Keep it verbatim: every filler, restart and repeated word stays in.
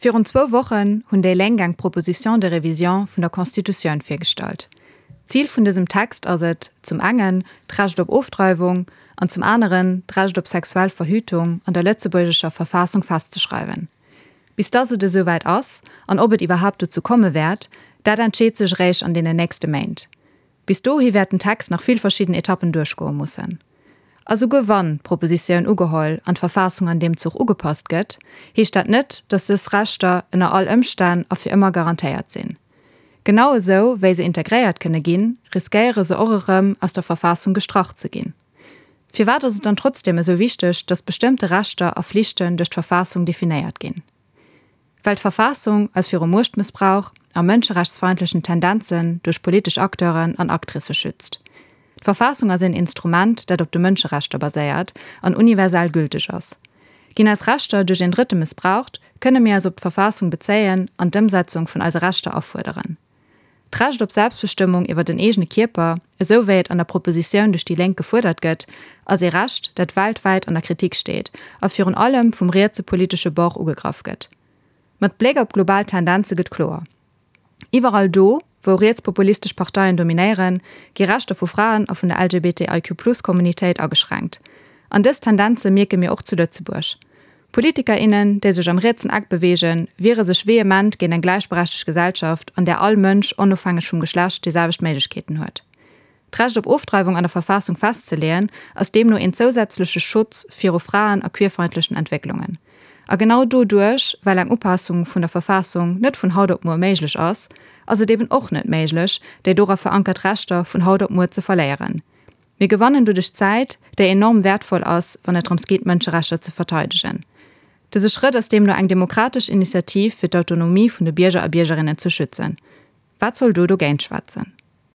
Virun zwou Wochen hunn déi Lénk eng Proposition de révision vun der Constitutioun virgestallt. Zil vun dësem Text ass et, zum engen d'Recht op Ofdreiwung an zum aneren d'Recht op sexuell Verhütung an der lëtzebuergescher Verfassung festzeschreiwen. Bis dass et esouwäit ass, an ob et iwwerhaapt dozou komme wäert, dat entscheet sech eréischt an deenen nächste Méint. Bis dohi wäert den Text nach vill verschidden Etappen duerchgoe mussen. A souguer wann d'Propositioun ugeholl an d'Verfassung an deem Zuch ugepasst gëtt, heescht dat net, datt dës Rechter ënner all Ëmstänn a fir ëmmer garantéiert sinn. Genau esou wéi se integréiert kënne ginn, riskéiere se och erëm aus der Verfassung gestrach ze ginn. Firwat ass et dann trotzdeem esou wichteg, datt bestëmmte Rechter a Flichten duerch d'Verfassung definéiert ginn? Well d'Verfassung eis viru Muechtmëssbrauch a mënscherechtsfeindlechen Tendenzen duerch politesch Acteuren an Actricë schützt. D'Verfassung ass een Instrument, dat op de Mënscherechter baséiert an universell gülteg ass. Ginn eis Rechter duerch een Drëtte mëssbraucht, kënne mir eis op d'Verfassung bezéien an d'Ëmsetzung vun eise Rechter afuerderen. D'Recht op Selbstbestëmmung iwwer den eegene Kierper, esou wéi et an der Propositioun duerch déi Lénk gefuerdert gëtt, ass ee Recht, dat weltwäit an der Kritik steet a virun allem vum rietse politesche Bord ugegraff gëtt. Mat Bléck op global Tendenze gëtt kloer, Iwwerall do, wou rietspopulistesch Parteien dominéieren, gi Rechter vu Fraen a vun der LGBTIQ-Plus-Communitéit ageschränkt. An dës Tendenze mierke mir och zu Lëtzebuerg. Politiker, innen, déi sech am rietsen Eck beweegen, wiere sech vehement géint eng gläichberechtegt Gesellschaft, an där all Mënsch onofhängeg vum Geschlecht déi selwecht Méiglechkeeten huet. D'Recht op Ofdreiwung an der Verfassung festzeleeën, ass deemno een zousätzleche Schutz viru Fraen a queerfeindlechen Entwécklungen. A genau doduerch, well eng Upassung vun der Verfassung net vun haut op muer méiglech ass, ass et eben och net méiglech, déi dora verankert Rechter vun haut op muer ze verléieren. Mir gewannen doduerch Zäit, déi enorm wäertvoll ass, wann et drëms geet, d'Mënscherechter ze verteidegen. Dëse Schrëtt ass deemno eng demokratesch Initiativ, fir d'Autonomie vun de Bierger a Biergerinnen ze schützen. Wat soll do dogéint schwätzen?